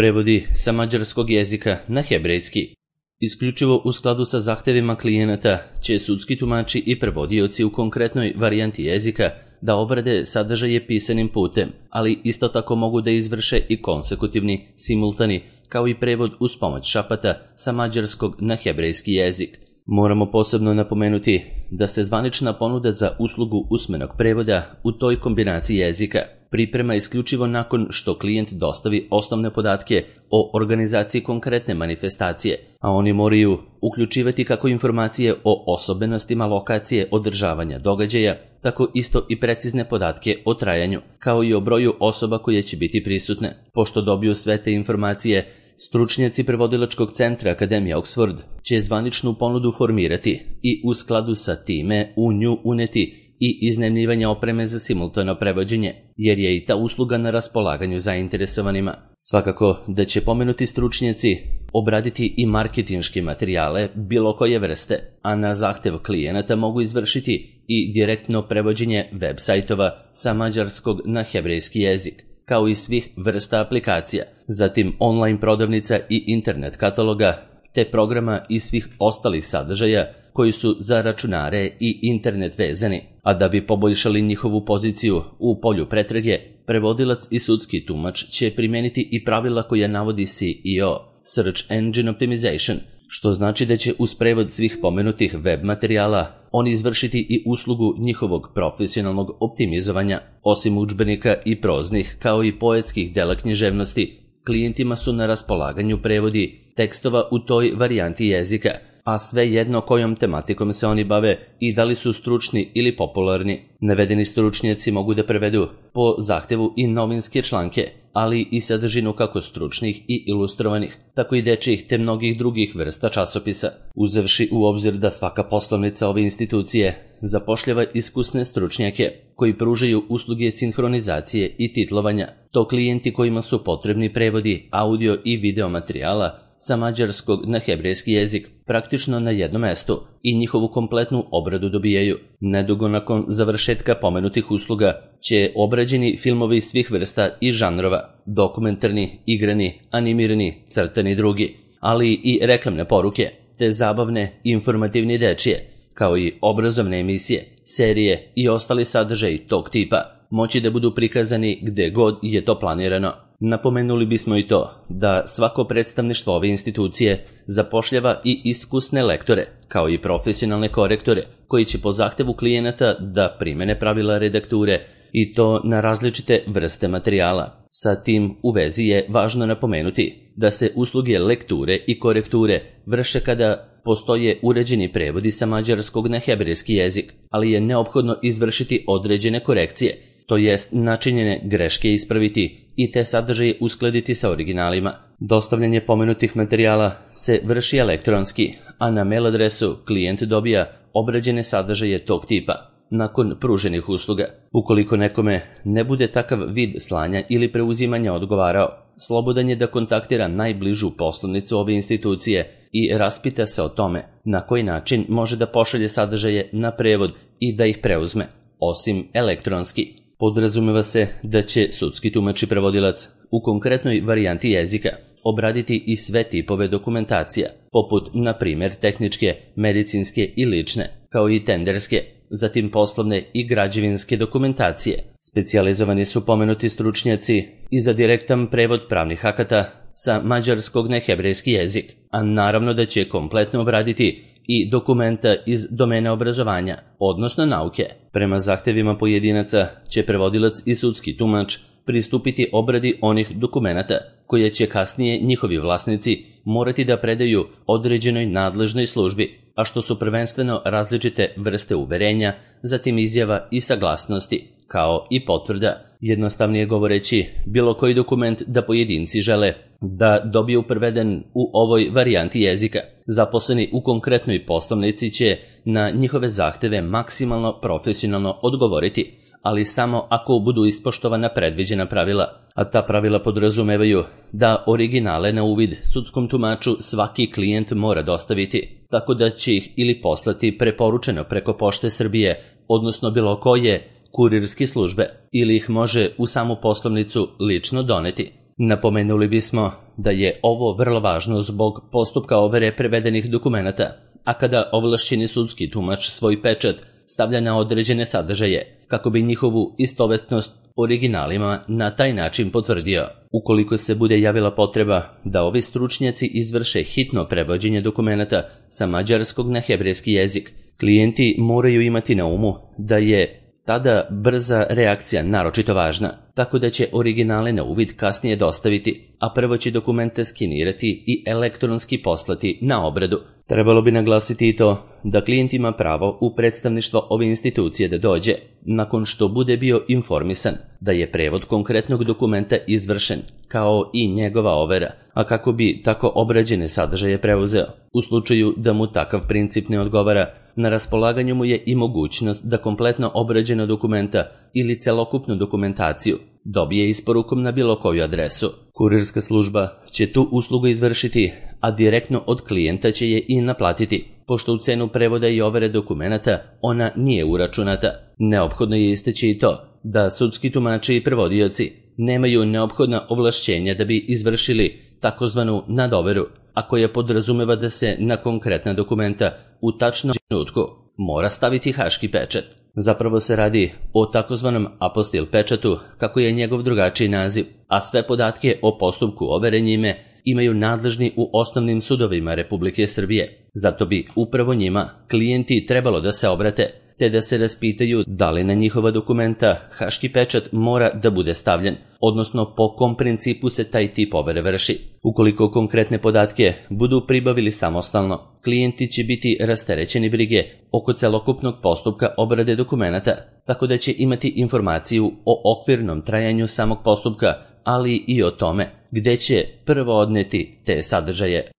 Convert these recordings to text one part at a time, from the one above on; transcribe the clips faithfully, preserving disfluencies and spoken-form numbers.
Prevodi sa mađarskog jezika na hebrejski. Isključivo u skladu sa zahtevima klijenata će sudski tumači i prevodioci u konkretnoj varijanti jezika da obrade sadržaje pisanim putem, ali isto tako mogu da izvrše i konsekutivni, simultani, kao i prevod uz pomoć šapata sa mađarskog na hebrejski jezik. Moramo posebno napomenuti da se zvanična ponuda za uslugu usmenog prevoda u toj kombinaciji jezika priprema isključivo nakon što klijent dostavi osnovne podatke o organizaciji konkretne manifestacije, a oni moraju uključivati kako informacije o osobenostima lokacije održavanja događaja, tako isto i precizne podatke o trajanju, kao i o broju osoba koje će biti prisutne. Pošto dobiju sve te informacije, stručnjaci prevodilačkog centra Akademija Oxford će zvaničnu ponudu formirati i u skladu sa time u nju uneti i iznajmljivanje opreme za simultano prevođenje, jer je i ta usluga na raspolaganju zainteresovanima. Svakako da će pomenuti stručnjaci obraditi i marketinške materijale bilo koje vrste, a na zahtev klijenata mogu izvršiti i direktno prevođenje web sajtova sa mađarskog na hebrejski jezik, kao i svih vrsta aplikacija, zatim online prodavnica i internet kataloga, te programa i svih ostalih sadržaja koji su za računare i internet vezani, a da bi poboljšali njihovu poziciju u polju pretrage, prevodilac i sudski tumač će primeniti i pravila koja navodi C E O, Search Engine Optimization, što znači da će uz prevod svih pomenutih web materijala oni izvršiti i uslugu njihovog profesionalnog optimizovanja. Osim udžbenika i proznih, kao i poetskih dela književnosti, klijentima su na raspolaganju prevodi tekstova u toj varijanti jezika, a sve jedno kojom tematikom se oni bave i da li su stručni ili popularni. Navedeni stručnjaci mogu da prevedu po zahtevu i novinske članke, ali i sadržinu kako stručnih i ilustrovanih, tako i dečjih te mnogih drugih vrsta časopisa. Uzevši u obzir da svaka poslovnica ove institucije zapošljava iskusne stručnjake koji pružaju usluge sinhronizacije i titlovanja, to klijenti kojima su potrebni prevodi audio i video materijala sa mađarskog na hebrejski jezik praktično na jednom mestu i njihovu kompletnu obradu dobijaju. Nedugo nakon završetka pomenutih usluga će obrađeni filmovi svih vrsta i žanrova, dokumentarni, igrani, animirani, crtani drugi, ali i reklamne poruke, te zabavne, informativni dečije, kao i obrazovne emisije, serije i ostali sadržaji tog tipa moći da budu prikazani gde god je to planirano. Napomenuli bismo i to da svako predstavništvo ove institucije zapošljava i iskusne lektore, kao i profesionalne korektore, koji će po zahtevu klijenata da primene pravila redakture i to na različite vrste materijala. Sa tim u vezi je važno napomenuti da se usluge lekture i korekture vrše kada postoje uređeni prevodi sa mađarskog na hebrejski jezik, ali je neophodno izvršiti određene korekcije, to jest načinjene greške ispraviti i te sadržaje uskladiti sa originalima. Dostavljanje pomenutih materijala se vrši elektronski, a na mail adresu klijent dobija obrađene sadržaje tog tipa nakon pruženih usluga. Ukoliko nekome ne bude takav vid slanja ili preuzimanja odgovarao, slobodan je da kontaktira najbližu poslovnicu ove institucije i raspita se o tome na koji način može da pošalje sadržaje na prevod i da ih preuzme, osim elektronski. Podrazumeva se da će sudski tumač i prevodilac u konkretnoj varijanti jezika obraditi i sve tipove dokumentacija, poput, na primjer, tehničke, medicinske i lične, kao i tenderske, zatim poslovne i građevinske dokumentacije. Specijalizovani su pomenuti stručnjaci i za direktan prevod pravnih akata sa mađarskog na hebrejski jezik, a naravno da će kompletno obraditi i dokumenta iz domena obrazovanja, odnosno nauke. Prema zahtevima pojedinaca će prevodilac i sudski tumač pristupiti obradi onih dokumenata koje će kasnije njihovi vlasnici morati da predaju određenoj nadležnoj službi, a što su prvenstveno različite vrste uverenja, zatim izjava i saglasnosti, kao i potvrda. Jednostavnije govoreći, bilo koji dokument da pojedinci žele da dobiju preveden u ovoj varijanti jezika, zaposleni u konkretnoj poslovnici će na njihove zahteve maksimalno profesionalno odgovoriti, ali samo ako budu ispoštovana predviđena pravila, a ta pravila podrazumevaju da originale na uvid sudskom tumaču svaki klijent mora dostaviti, tako da će ih ili poslati preporučeno preko Pošte Srbije, odnosno bilo koje kurirske službe, ili ih može u samu poslovnicu lično doneti. Napomenuli bismo da je ovo vrlo važno zbog postupka overe prevedenih dokumenata, a kada ovlašćeni sudski tumač svoj pečat stavlja na određene sadržaje, kako bi njihovu istovetnost originalima na taj način potvrdio. Ukoliko se bude javila potreba da ovi stručnjaci izvrše hitno prevođenje dokumenata sa mađarskog na hebrejski jezik, klijenti moraju imati na umu da je tada brza reakcija naročito važna, tako da će originale na uvid kasnije dostaviti, a prvo će dokumente skenirati i elektronski poslati na obradu. Trebalo bi naglasiti i to da klijent ima pravo u predstavništvo ove institucije da dođe, nakon što bude bio informisan da je prevod konkretnog dokumenta izvršen, kao i njegova overa, a kako bi tako obrađene sadržaje preuzeo. U slučaju da mu takav princip ne odgovara, na raspolaganju mu je i mogućnost da kompletno obrađeno dokumenta ili celokupnu dokumentaciju dobije isporukom na bilo koju adresu. Kurirska služba će tu uslugu izvršiti, a direktno od klijenta će je i naplatiti, pošto u cenu prevoda i overe dokumenata ona nije uračunata. Neophodno je istaći i to da sudski tumači i prevodioci nemaju neophodna ovlašćenja da bi izvršili takozvanu nadoveru, a koja podrazumeva da se na konkretna dokumenta u tačnom trenutku mora staviti haški pečat. Zapravo se radi o takozvanom apostil pečatu, kako je njegov drugačiji naziv, a sve podatke o postupku overe njime imaju nadležni u osnovnim sudovima Republike Srbije. Zato bi upravo njima klijenti trebalo da se obrate, te da se raspitaju da li na njihova dokumenta haški pečat mora da bude stavljen, odnosno po kom principu se taj tip overe vrši. Ukoliko konkretne podatke budu pribavili samostalno, klijenti će biti rasterećeni brige oko celokupnog postupka obrade dokumenata, tako da će imati informaciju o okvirnom trajanju samog postupka, ali i o tome gde će prvo odneti te sadržaje.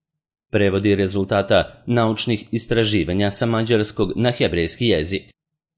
Prevodi rezultata naučnih istraživanja sa mađarskog na hebrejski jezik.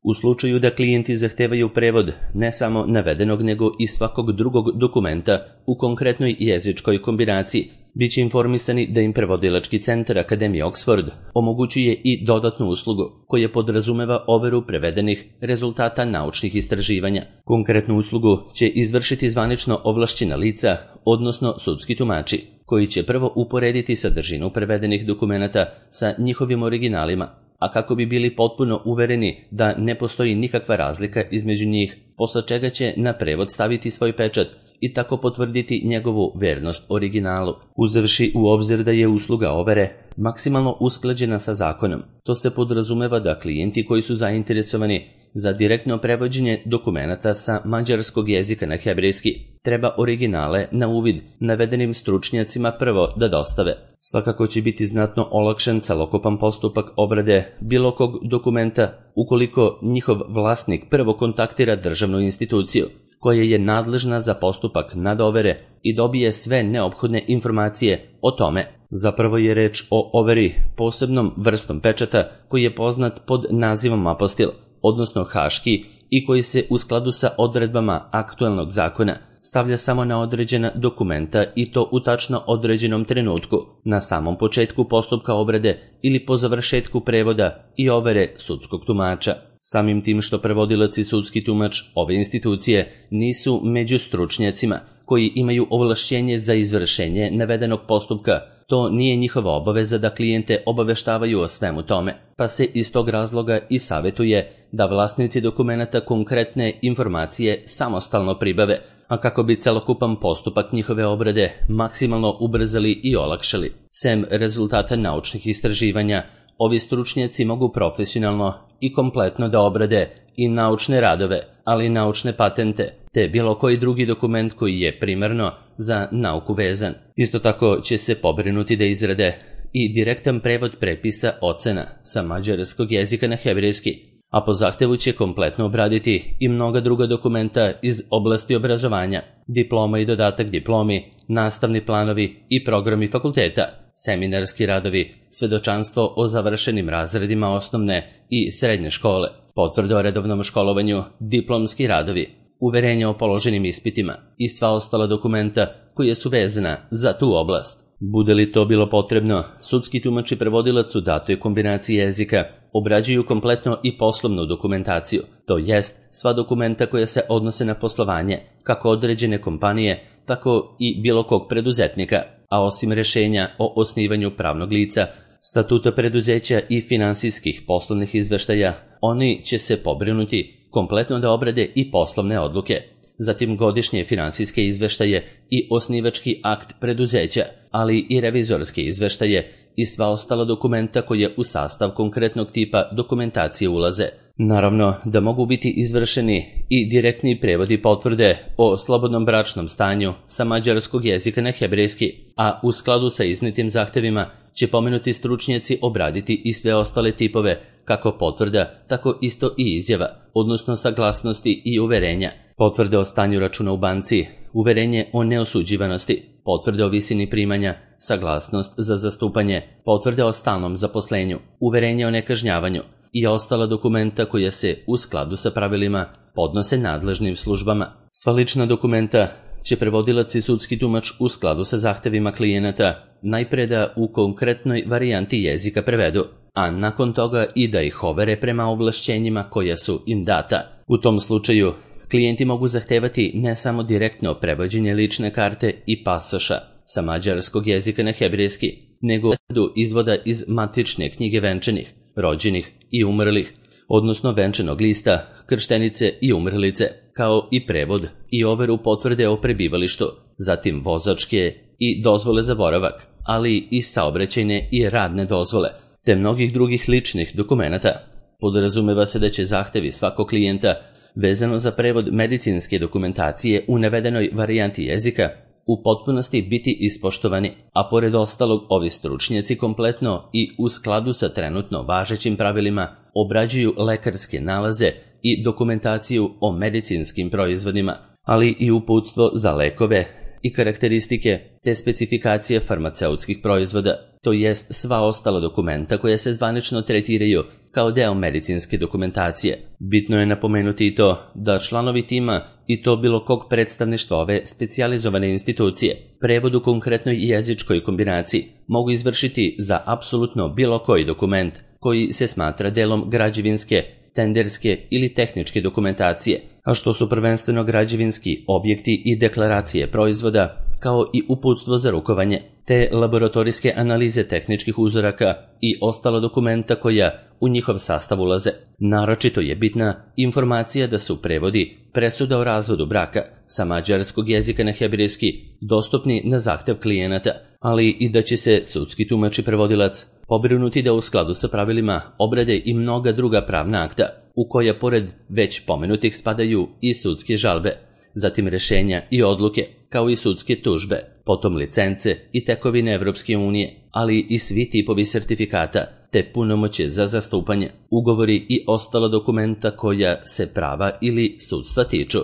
U slučaju da klijenti zahtevaju prevod ne samo navedenog nego i svakog drugog dokumenta u konkretnoj jezičkoj kombinaciji, bit će informisani da im prevodilački centar Akademije Oxford omogućuje i dodatnu uslugu koja podrazumeva overu prevedenih rezultata naučnih istraživanja. Konkretnu uslugu će izvršiti zvanično ovlašćena lica, odnosno sudski tumači, koji će prvo uporediti sadržinu prevedenih dokumenata sa njihovim originalima, a kako bi bili potpuno uvereni da ne postoji nikakva razlika između njih, posle čega će na prevod staviti svoj pečat i tako potvrditi njegovu vernost originalu. Uzevši u obzir da je usluga overe maksimalno usklađena sa zakonom, to se podrazumeva da klijenti koji su zainteresovani za direktno prevođenje dokumenata sa mađarskog jezika na hebrejski treba originale na uvid navedenim stručnjacima prvo da dostave. Svakako će biti znatno olakšan celokupan postupak obrade bilo kog dokumenta ukoliko njihov vlasnik prvo kontaktira državnu instituciju koja je nadležna za postupak nadovere i dobije sve neophodne informacije o tome. Zapravo je reč o overi posebnom vrstom pečata koji je poznat pod nazivom apostil, odnosno haški, i koji se u skladu sa odredbama aktuelnog zakona stavlja samo na određena dokumenta i to u tačno određenom trenutku, na samom početku postupka obrade ili po završetku prevoda i overe sudskog tumača. Samim tim što prevodilac i sudski tumač ove institucije nisu među stručnjacima koji imaju ovlašćenje za izvršenje navedenog postupka, to nije njihova obaveza da klijente obaveštavaju o svemu tome, pa se iz tog razloga i savjetuje da vlasnici dokumenata konkretne informacije samostalno pribave, a kako bi celokupan postupak njihove obrade maksimalno ubrzali i olakšali. Sem rezultata naučnih istraživanja, ovi stručnjaci mogu profesionalno i kompletno da obrade i naučne radove, ali i naučne patente, te bilo koji drugi dokument koji je primarno za nauku vezan. Isto tako će se pobrinuti da izrade i direktan prevod prepisa ocena sa mađarskog jezika na hebrejski, a po zahtevu će kompletno obraditi i mnoga druga dokumenta iz oblasti obrazovanja, diploma i dodatak diplomi, nastavni planovi i programi fakulteta, seminarski radovi, svedočanstvo o završenim razredima osnovne i srednje škole, potvrde o redovnom školovanju, diplomski radovi, uverenja o položenim ispitima i sva ostala dokumenta koje su vezana za tu oblast. Bude li to bilo potrebno, sudski tumač i prevodilac u datoj kombinaciji jezika obrađuju kompletno i poslovnu dokumentaciju, to jest sva dokumenta koja se odnose na poslovanje, kako određene kompanije, tako i bilo kog preduzetnika, a osim rešenja o osnivanju pravnog lica, statuta preduzeća i finansijskih poslovnih izveštaja, oni će se pobrinuti kompletno da obrade i poslovne odluke, zatim godišnje finansijske izveštaje i osnivački akt preduzeća, ali i revizorske izveštaje i sva ostala dokumenta koje u sastav konkretnog tipa dokumentacije ulaze. Naravno da mogu biti izvršeni i direktni prevodi potvrde o slobodnom bračnom stanju sa mađarskog jezika na hebrejski, a u skladu sa iznitim zahtevima će pomenuti stručnjaci obraditi i sve ostale tipove, kako potvrda, tako isto i izjava, odnosno saglasnosti i uverenja, potvrde o stanju računa u banci, uverenje o neosuđivanosti, potvrde o visini primanja, saglasnost za zastupanje, potvrde o stalnom zaposlenju, uverenje o nekažnjavanju i ostala dokumenta koja se u skladu sa pravilima podnose nadležnim službama. Sva lična dokumenta će prevodilac i sudski tumač u skladu sa zahtevima klijenata najpre da u konkretnoj varijanti jezika prevedu, a nakon toga i da ih overe prema ovlašćenjima koja su im data. U tom slučaju klijenti mogu zahtevati ne samo direktno prevođenje lične karte i pasoša sa mađarskog jezika na hebrejski, nego izvoda iz matične knjige venčanih, rođenih i umrlih, odnosno venčanog lista, krštenice i umrlice, kao i prevod i overu potvrde o prebivalištu, zatim vozačke i dozvole za boravak, ali i saobraćajne i radne dozvole, te mnogih drugih ličnih dokumenata. Podrazumeva se da će zahtevi svakog klijenta vezano za prevod medicinske dokumentacije u navedenoj varijanti jezika u potpunosti biti ispoštovani, a pored ostalog ovi stručnjaci kompletno i u skladu sa trenutno važećim pravilima obrađuju lekarske nalaze i dokumentaciju o medicinskim proizvodima, ali i uputstvo za lekove i karakteristike te specifikacije farmaceutskih proizvoda, to jest sva ostala dokumenta koja se zvanično tretiraju kao deo medicinske dokumentacije. Bitno je napomenuti i to da članovi tima i to bilo kog predstavništva ove specijalizovane institucije prevod u konkretnoj jezičkoj kombinaciji mogu izvršiti za apsolutno bilo koji dokument koji se smatra delom građevinske, tenderske ili tehničke dokumentacije, a što su prvenstveno građevinski objekti i deklaracije proizvoda, kao i uputstvo za rukovanje, te laboratorijske analize tehničkih uzoraka i ostala dokumenta koja u njihov sastav ulaze. Naročito je bitna informacija da su prevodi presuda o razvodu braka sa mađarskog jezika na hebrejski dostupni na zahtev klijenata, ali i da će se sudski tumač i prevodilac pobrinuti da u skladu sa pravilima obrade i mnoga druga pravna akta, u koja pored već pomenutih spadaju i sudske žalbe, zatim rešenja i odluke, kao i sudske tužbe, potom licence i tekovine Evropske unije, ali i svi tipovi sertifikata, te punomoće za zastupanje, ugovori i ostala dokumenta koja se prava ili sudstva tiču.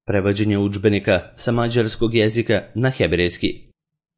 Prevođenje udžbenika sa mađarskog jezika na hebrejski.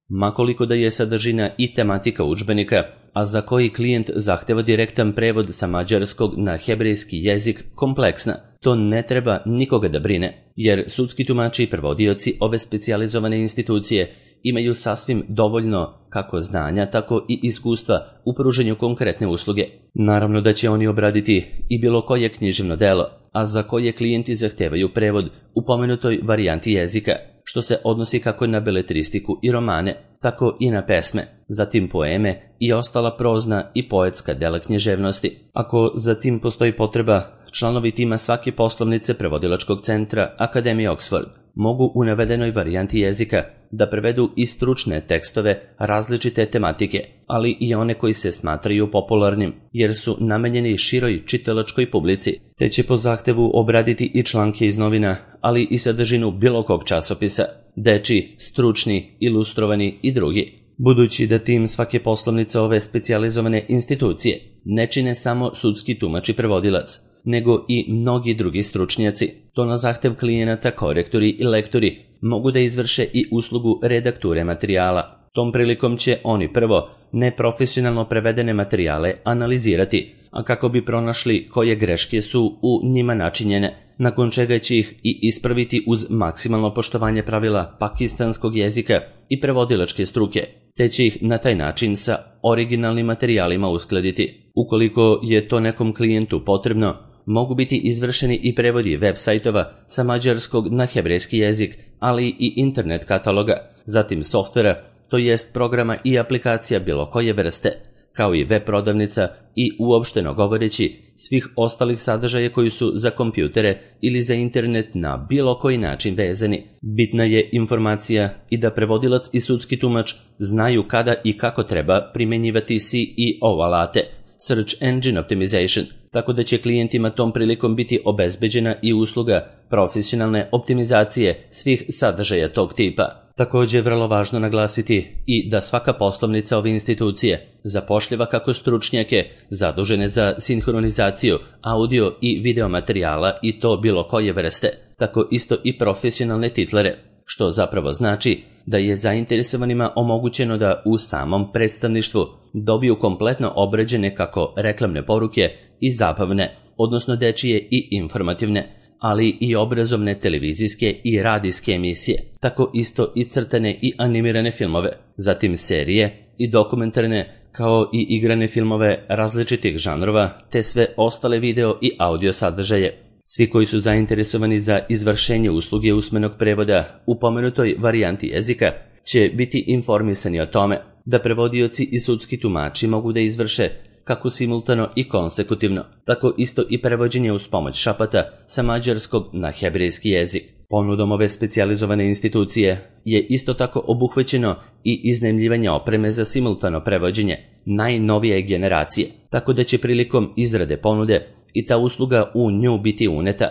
Makoliko da je sadržina i tematika udžbenika, a za koji klijent zahteva direktan prevod sa mađarskog na hebrejski jezik kompleksna, to ne treba nikoga da brine, jer sudski tumači i prevodioci ove specijalizovane institucije imaju sasvim dovoljno kako znanja, tako i iskustva u pruženju konkretne usluge. Naravno da će oni obraditi i bilo koje književno delo, a za koje klijenti zahtevaju prevod u pomenutoj varijanti jezika, što se odnosi kako na beletristiku i romane, tako i na pesme, zatim poeme i ostala prozna i poetska dela književnosti. Ako za tim postoji potreba, članovi tima svake poslovnice prevodilačkog centra Akademije Oxford mogu u navedenoj varijanti jezika da prevedu i stručne tekstove različite tematike, ali i one koji se smatraju popularnim, jer su namenjeni široj čitalačkoj publici, te će po zahtevu obraditi i članke iz novina, ali i sadržinu bilo kog časopisa, dečiji, stručni, ilustrovani i drugi. Budući da tim svake poslovnice ove specijalizovane institucije ne čine samo sudski tumač i prevodilac, nego i mnogi drugi stručnjaci, to na zahtev klijenata korektori i lektori mogu da izvrše i uslugu redakture materijala. Tom prilikom će oni prvo neprofesionalno prevedene materijale analizirati, a kako bi pronašli koje greške su u njima načinjene, nakon čega će ih i ispraviti uz maksimalno poštovanje pravila pakistanskog jezika i prevodilačke struke, te će ih na taj način sa originalnim materijalima uskladiti. Ukoliko je to nekom klijentu potrebno, mogu biti izvršeni i prevodi web sajtova sa mađarskog na hebrejski jezik, ali i internet kataloga, zatim softvera, to jest programa i aplikacija bilo koje vrste, kao i web prodavnica i uopšteno govoreći svih ostalih sadržaja koji su za kompjutere ili za internet na bilo koji način vezani. Bitna je informacija i da prevodilac i sudski tumač znaju kada i kako treba primenjivati S E O alate, Search Engine Optimization, tako da će klijentima tom prilikom biti obezbeđena i usluga profesionalne optimizacije svih sadržaja tog tipa. Također je vrlo važno naglasiti i da svaka poslovnica ove institucije zapošljava kako stručnjake zadužene za sinhronizaciju audio i video materijala i to bilo koje vrste, tako isto i profesionalne titlere, što zapravo znači da je zainteresovanima omogućeno da u samom predstavništvu dobiju kompletno obrađene kako reklamne poruke i zabavne, odnosno dečije i informativne, ali i obrazovne televizijske i radijske emisije, tako isto i crtane i animirane filmove, zatim serije i dokumentarne, kao i igrane filmove različitih žanrova, te sve ostale video i audio sadržaje. Svi koji su zainteresovani za izvršenje usluge usmenog prevoda u pomenutoj varijanti jezika će biti informisani o tome da prevodioci i sudski tumači mogu da izvrše kako simultano i konsekutivno, tako isto i prevođenje uz pomoć šapata sa mađarskog na hebrejski jezik. Ponudom ove specijalizovane institucije je isto tako obuhvaćeno i iznajmljivanje opreme za simultano prevođenje najnovije generacije, tako da će prilikom izrade ponude i ta usluga u nju biti uneta,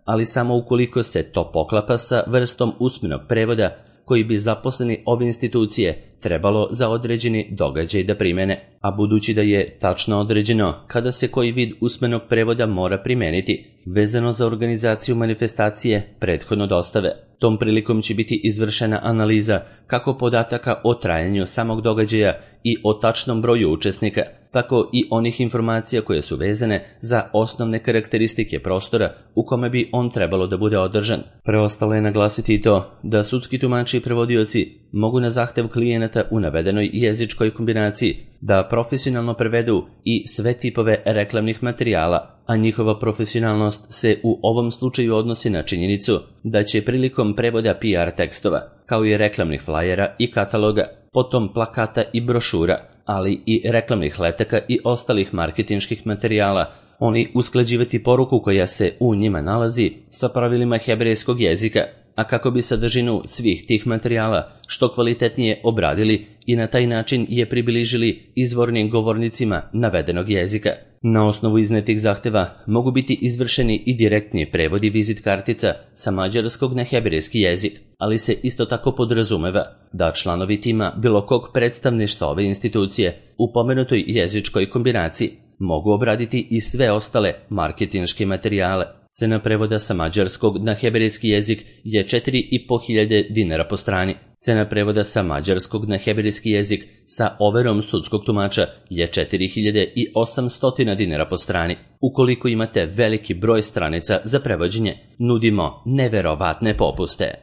ali samo ukoliko se to poklapa sa vrstom usmenog prevoda koji bi zaposleni ove institucije trebalo za određeni događaj da primene, a budući da je tačno određeno kada se koji vid usmenog prevoda mora primeniti, vezano za organizaciju manifestacije prethodno dostave. Tom prilikom će biti izvršena analiza kako podataka o trajanju samog događaja i o tačnom broju učesnika, tako i onih informacija koje su vezane za osnovne karakteristike prostora u kome bi on trebalo da bude održan. Preostalo je naglasiti i to da sudski tumači i prevodioci mogu na zahtev klijenata u navedenoj jezičkoj kombinaciji da profesionalno prevedu i sve tipove reklamnih materijala, a njihova profesionalnost se u ovom slučaju odnosi na činjenicu da će prilikom prevoda P R tekstova, kao i reklamnih flajera i kataloga, potom plakata i brošura, ali i reklamnih letaka i ostalih marketinških materijala, oni usklađivati poruku koja se u njima nalazi sa pravilima hebrejskog jezika, a kako bi sadržinu svih tih materijala što kvalitetnije obradili i na taj način je približili izvornim govornicima navedenog jezika. Na osnovu iznetih zahteva mogu biti izvršeni i direktni prevodi vizit kartica sa mađarskog na hebrejski jezik, ali se isto tako podrazumeva da članovi tima bilo kog predstavništva ove institucije u pomenutoj jezičkoj kombinaciji mogu obraditi i sve ostale marketinške materijale. Cena prevoda sa mađarskog na hebrejski jezik je četiri i po hiljade dinara po strani. Cena prevoda sa mađarskog na hebrejski jezik sa overom sudskog tumača je četiri hiljade osamsto dinara po strani. Ukoliko imate veliki broj stranica za prevođenje, nudimo neverovatne popuste.